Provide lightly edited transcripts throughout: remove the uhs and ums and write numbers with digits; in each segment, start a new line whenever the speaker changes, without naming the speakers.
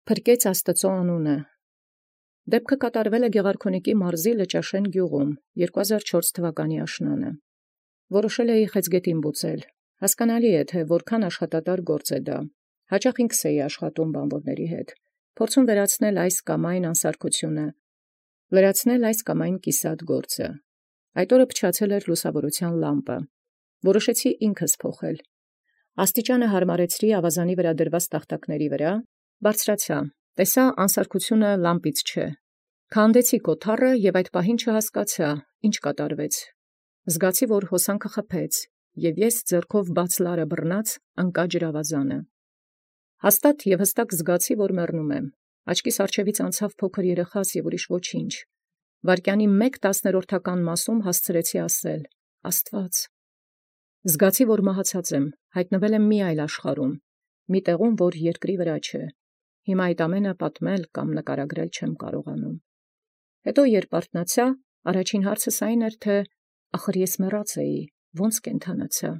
Փրկեց Աստուծոյ անունը։ Դեպքը կատարվել է Գեղարքունիքի մարզի Լճաշեն գյուղում 2004 թվականի աշնանը։ Որոշել էի Խեցգետին բուծել։ Հասկանալի է, թե որքան աշխատատար գործ է դա։ Հաճախ ինքս էի աշխատում բանվորների հետ։ Փորձում վերացնել այս կամ այն անսարքությունը, լրացնել այս կամ այն կիսատ գործը։ Այդ օրը փչացել էր լուսավորության լամպը։ Որոշեցի ինքս փոխել։ Աստիճանը հարմարեցրի ավազանի վրա դրված տախտակների վրա, բարձրացա, տեսա անսարքությունը լամպից չէ։ Քանդեցի կոթառը և այդ պահին չհասկացա, ինչ կատարվեց։ Զգացի, որ հոսանքը խփեց, և ես ձեռքով բաց լարը բռնած ընկա ջրավազանը։ Հաստատ և հստակ զգացի, որ մեռնում եմ։ Աչքիս առջևից անցավ փոքր երեխաս և ուրիշ ոչինչ։ Վայրկյանի 1/10 մասում հասցրեցի ասել. «Աստված»։ Զգացի, որ մահացած եմ, հայտնվել եմ մի այլ աշխարհում, մի տեղում, որ երկրի վրա չէ։ Հիմա այդ ամենը պատմել կամ նկարագրել չեմ կարողանում։ Հետո երբ արթնացա, առաջին հարցս այն էր, թե ախր ես մեռած էի, ո՞նց կենդանացա։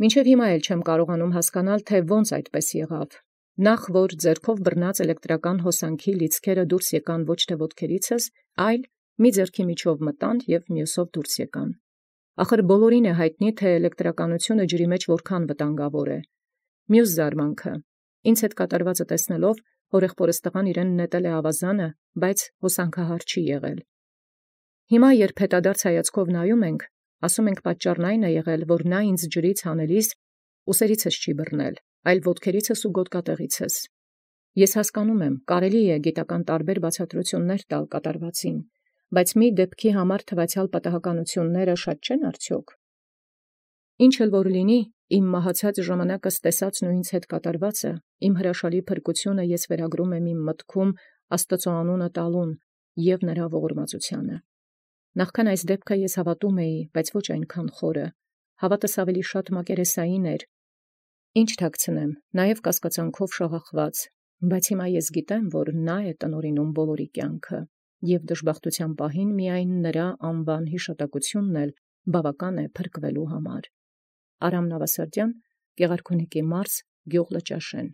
Մինչև հիմա էլ չեմ կարողանում հասկանալ, թե ո՛նց այդպես եղավ։ Նախ որ ձեռքով բռնած էլեկտրական հոսանքի լիցքերը դուրս եկան ոչ թե ոտքերիցս, այլ մի ձեռքի միջով մտան և մյուսով դուրս եկան։ Ախր բոլորին է հայտնի, թե էլեկտրականությունը ջրի մեջ որքան վտանգավոր է։ Մյուս զարմանքը, ինձ հետ կատարվածը տեսնելով, հորեղբորս տղան իրեն նետել է ավազանը, բայց հոսանքահար չի եղել։ Հիմա երբ հետադարձ հայացքով նայում ենք, ասում ենք պատճառն այն է եղել, որ նա ինձ ջրից հանելիս ուսերիցս չի բռնել, այլ ոտքերիցս ու գոտկատեղիցս։ Ես հասկանում եմ, կարելի է գիտական տարբեր բացատրություններ տալ կատարվածին, բայց մի դեպքի համար թվացյալ պատահականությունները շատ չեն արդյոք։ Ինչ էլ որ լինի, իմ մահացած ժամանակս տեսած ու ինձ հետ կատարվածը, իմ հրաշալի փրկությունը ես վերագրում եմ իմ մտքում Աստծո անունը տալուն և նրա ողորմածությանը։ Նախքան այս դեպքը ես հավատում էի, բայց ոչ այնքան խորը, հավատս ավելի շատ մակերեսային էր, ինչ թաքցնեմ, նաև կասկածանքով շաղախված, բայց հիմա ես գիտեմ, որ նա է տնօրինում բոլորի կյանքը, և դժբախտության պահին միայն նրա անվան հիշատակությունն էլ բավական է փրկվելու համար։ Արամ Նավասարդյան, Գեղարքունիքի մարզ, գյուղ Լճաշեն։